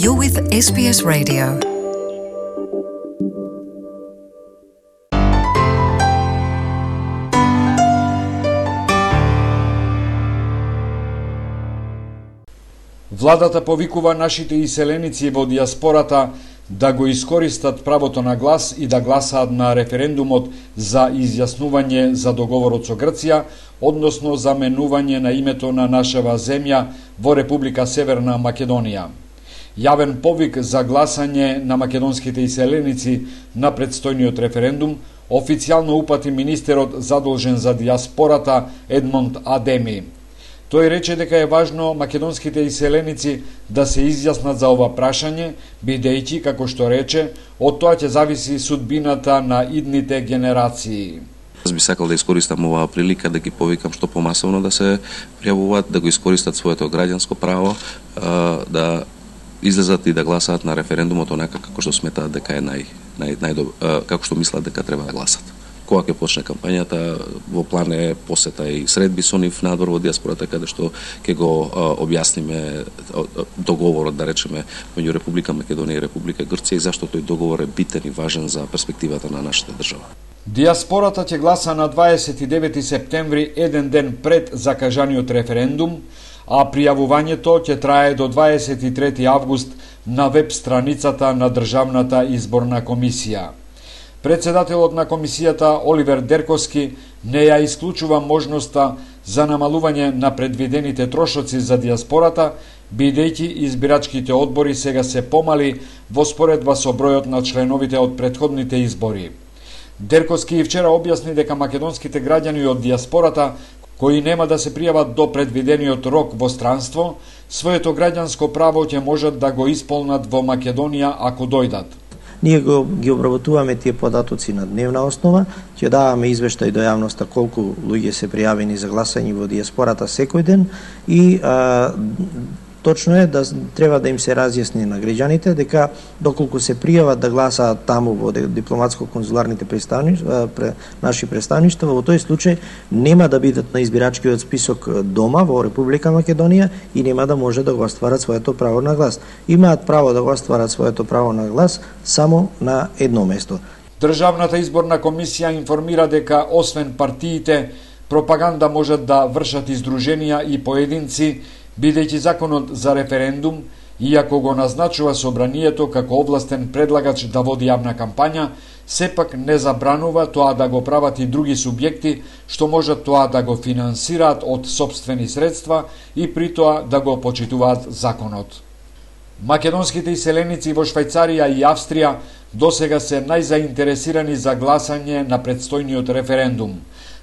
You're with SBS Radio. Владата повикува нашите иселеници во диаспората да го искористат правото на глас и да гласаат на референдумот за изјаснување за договорот со Грција, односно за менување на името на нашава земја во Република Северна Македонија. Јавен повик за гласање на македонските иселеници на предстојниот референдум официјално упати министерот задолжен за диаспората Едмонд Адеми. Тој рече дека е важно македонските иселеници да се изјаснат за ова прашање, бидејќи, како што рече, од тоа ќе зависи судбината на идните генерации. Аз би сакал да искористам оваа прилика да ги повикам што помасовно да се пријавуваат, да го искористат своето граѓанско право, да излезат и да гласаат на референдумот онака како што сметаат дека е како што мислат дека треба да гласат. Кога ќе почне кампањата, во план е посета и средби со нив надвор во диаспората, каде што ќе го објасниме договорот, да речеме, меѓу Република Македонија и Република Грција и зашто тој договор е битен и важен за перспективата на нашата држава. Диаспората ќе гласа на 29 септември, еден ден пред закажаниот референдум, а пријавувањето ќе трае до 23 август на веб страницата на Државната изборна комисија. Председателот на комисијата Оливер Дерковски не ја исклучува можноста за намалување на предвидените трошоци за диаспората, бидејќи избирачките одбори сега се помали во споредба со бројот на членовите од претходните избори. Дерковски и вчера објасни дека македонските граѓани од диаспората кои нема да се пријават до предвидениот рок во странство, своето граѓанско право ќе можат да го исполнат во Македонија ако дојдат. Ние ги обработуваме тие податоци на дневна основа, ќе даваме извештај до јавноста колку луѓе се пријавени за гласање во диаспората секој ден и точно е да треба да им се разјасни на граѓаните дека доколку се пријават да гласаат таму во дипломатско-конзуларните наши представништва, во тој случај нема да бидат на избирачкиот список дома во Република Македонија и нема да може да го остварат своето право на глас. Имаат право да го остварат своето право на глас само на едно место. Државната изборна комисија информира дека освен партиите, пропаганда можат да вршат издруженија и поединци, бидејќи законот за референдум, иако го назначува собранието како овластен предлагач да води јавна кампања, сепак не забранува тоа да го прават и други субјекти, што можат тоа да го финансираат од сопствени средства и при тоа да го почитуваат законот. Македонските иселеници во Швајцарија и Австрија досега се најзаинтересирани за гласање на предстојниот референдум.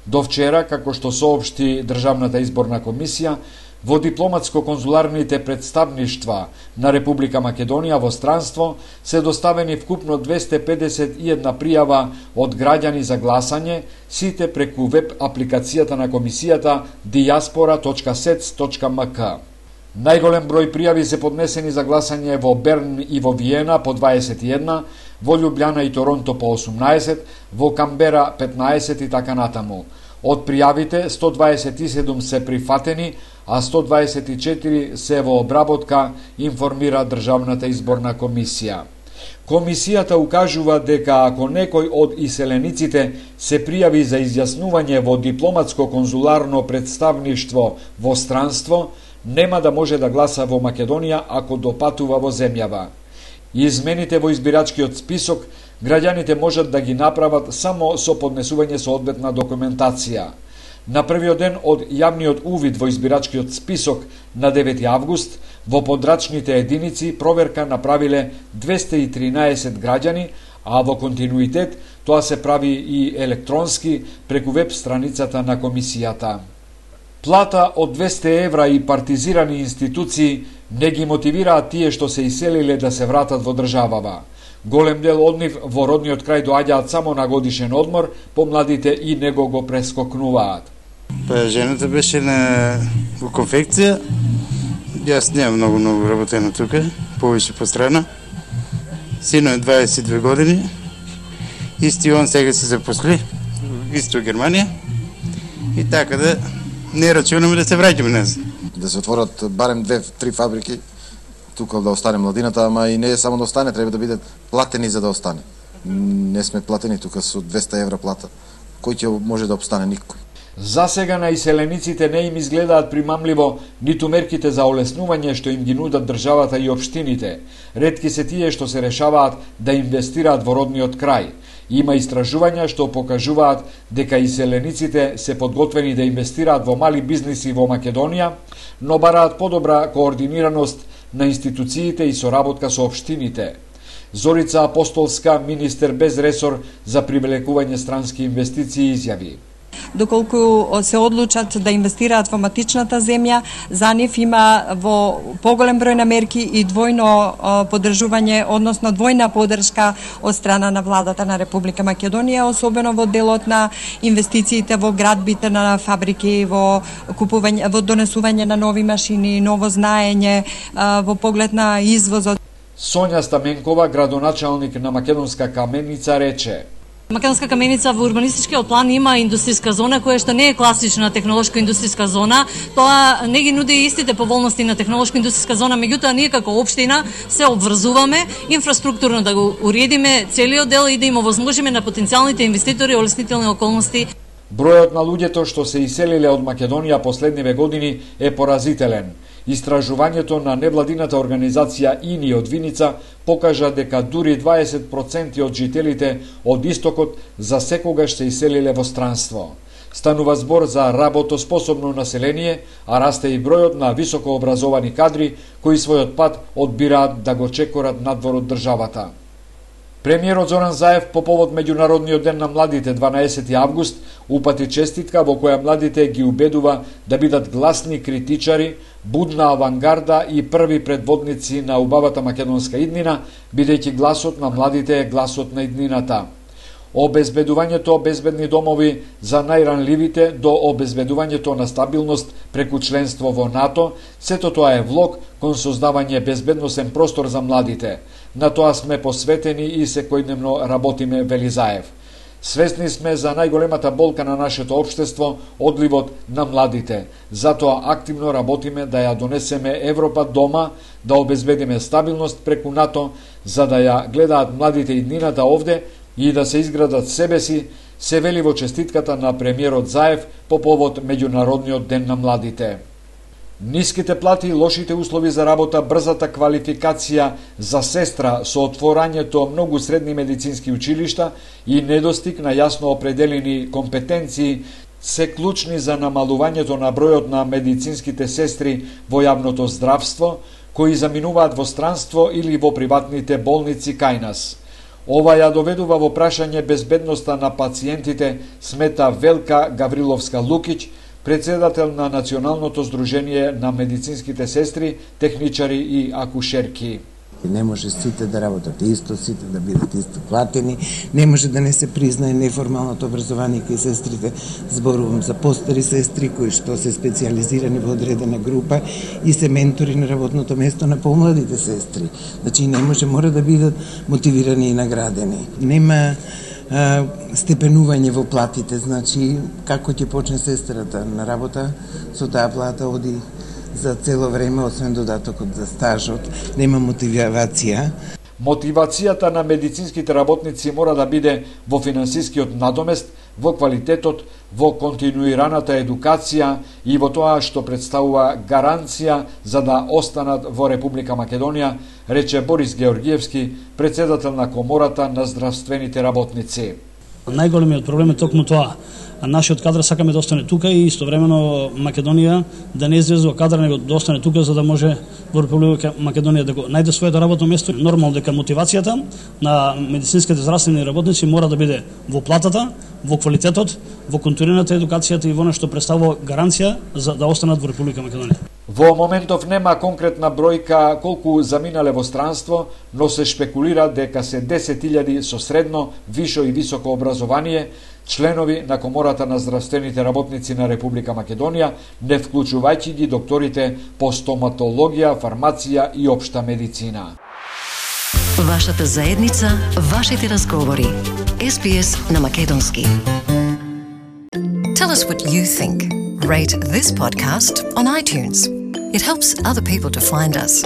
До вчера, како што соопшти Државната изборна комисија, во дипломатско-конзуларните представништва на Република Македонија во странство се доставени вкупно 251 пријава од граѓани за гласање, сите преку веб апликацијата на комисијата diaspora.sec.mk. Најголем број пријави се поднесени за гласање во Берн и во Виена по 21, во Љубљана и Торонто по 18, во Камбера 15 и така натаму. Од пријавите 127 се прифатени, а 124 се во обработка, информира Државната изборна комисија. Комисијата укажува дека ако некој од иселениците се пријави за изјаснување во дипломатско-конзуларно представништво во странство, нема да може да гласа во Македонија ако допатува во земјава. Измените во избирачкиот список граѓаните можат да ги направат само со поднесување соодветна документација. На првиот ден од јавниот увид во избирачкиот список на 9 август, во подрачните единици проверка направиле 213 граѓани, а во континуитет тоа се прави и електронски преку веб страницата на комисијата. Плата од 200 евра и партизирани институции не ги мотивираат тие што се иселиле да се вратат во државава. Голем дел од нив во родниот крај доаѓаат само на годишен одмор, помладите и него го прескокнуваат. Жената беше во конфекција, јас немам многу работено тука, повеќе по страна. Сино е 22 години, исти он сега се запосли, исто Германија, и така да не рачунаме да се враќаме назад. Да се отворат барем 2-3 фабрики тука да остане младината, ама и не е само да остане, треба да бидат платени за да остане. Не сме платени тука со 200 евра плата. Кој ќе може да обстане? Никој. За сега на иселениците не им изгледаат примамливо ниту мерките за олеснување што им ги нудат државата и општините. Ретки се тие што се решаваат да инвестираат во родниот крај. Има истражувања што покажуваат дека иселениците се подготвени да инвестираат во мали бизниси во Македонија, но бараат подобра координираност на институциите и соработка со општините. Зорица Апостолска, министер без ресор за привлекување странски инвестиции, изјави: доколку се одлучат да инвестираат во матичната земја, за нив има во поголем број на мерки и двојно поддржување, односно двојна поддршка од страна на владата на Република Македонија, особено во делот на инвестициите во градбите на фабрики, во купување, во донесување на нови машини, ново знаење, во поглед на извозот. Сонја Стаменкова, градоначалник на Македонска Каменица, рече: Македонска Каменица во урбанистичкиот план има индустријска зона која што не е класична технолошка индустријска зона. Тоа не ги нуди истите поволности на технолошка индустријска зона, меѓутоа ние како општина се обврзуваме инфраструктурно да го уредиме целиот дел и да им овозможиме на потенцијалните инвеститори олеснителни околности. Бројот на луѓето што се иселиле од Македонија последниве години е поразителен. Истражувањето на невладината организација ИНИ од Виница покажа дека дури 20% од жителите од истокот за секогаш се иселиле во странство. Станува збор за работоспособно население, а расте и бројот на високообразовани кадри кои својот пат одбираат да го чекорат надвор од државата. Премиерот Зоран Заев по повод Меѓународниот ден на младите 12 август упати честитка во која младите ги убедува да бидат гласни критичари, будна авангарда и први предводници на убавата македонска иднина, бидејќи гласот на младите е гласот на иднината. Обезбедувањето безбедни домови за најранливите до обезбедувањето на стабилност преку членство во НАТО, сето тоа е влог кон создавање безбедносен простор за младите. На тоа сме посветени и секојдневно работиме, вели Заев. Свесни сме за најголемата болка на нашето општество, одливот на младите. Затоа активно работиме да ја донесеме Европа дома, да обезбедиме стабилност преку НАТО, за да ја гледаат младите иднината овде и да се изградат себе си, се вели во честитката на премиерот Заев по повод Меѓународниот ден на младите. Ниските плати, лошите услови за работа, брзата квалификација за сестра со отворањето многу средни медицински училишта и недостиг на јасно определени компетенции се клучни за намалувањето на бројот на медицинските сестри во јавното здравство, кои заминуваат во странство или во приватните болници кај нас. Ова ја доведува во прашање безбедноста на пациентите, смета Велка Гавриловска-Лукиќ, председател на Националното здружение на медицинските сестри, техничари и акушерки. Не може сите да работат исто, сите да бидат исто платени, не може да не се признае неформалното образование кај сестрите. Зборувам за постари сестри кои што се специализирани во одредена група и се ментори на работното место на помладите сестри. Значи не може, мора да бидат мотивирани и наградени. Нема степенување во платите, значи како ќе почне сестрата на работа, со таа плата оди за цело време, освен додатокот за стажот, нема мотивација. Мотивацијата на медицинските работници мора да биде во финансискиот надомест, во квалитетот, во континуираната едукација и во тоа што представува гаранција за да останат во Република Македонија, рече Борис Георгиевски, председател на Комората на здравствените работници. Најголемиот проблем е токму тоа. Нашиот кадар сакаме да остане тука и истовремено Македонија да не извезува кадар, него да остане тука за да може во Република Македонија да го најде своето работно место. Нормално дека мотивацијата на медицинските здравствени работници мора да биде во платата, во квалитетот, во континуираната едукацијата и во нешто представува гаранција за да останат во Република Македонија. Во моментов нема конкретна бројка колку заминале во странство, но се шпекулира дека се 10.000 со средно, вишо и високо образование, членови на Комората на здравствените работници на Република Македонија, не вклучувајќи ги докторите по стоматологија, фармација и општа медицина. Вашата заедница, вашите разговори. SBS на македонски. Tell us what you think. Rate this podcast on iTunes. It helps other people to find us.